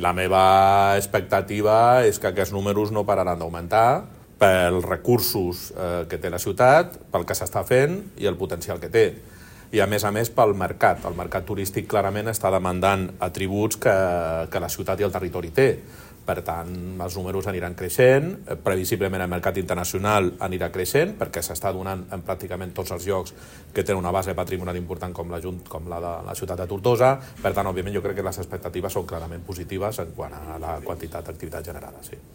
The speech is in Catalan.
la meva expectativa és que aquests números no pararan d'augmentar pels recursos que té la ciutat, pel que s'està fent i el potencial que té. I a més pel mercat. El mercat turístic clarament està demandant atributs que la ciutat i el territori té. Per tant, els números aniran creixent, previsiblement el mercat internacional anirà creixent, perquè s'està donant en pràcticament tots els llocs que tenen una base patrimonial important com la de la ciutat de Tortosa. Per tant, òbviament, jo crec que les expectatives són clarament positives en quant a la quantitat d'activitat generada. Sí.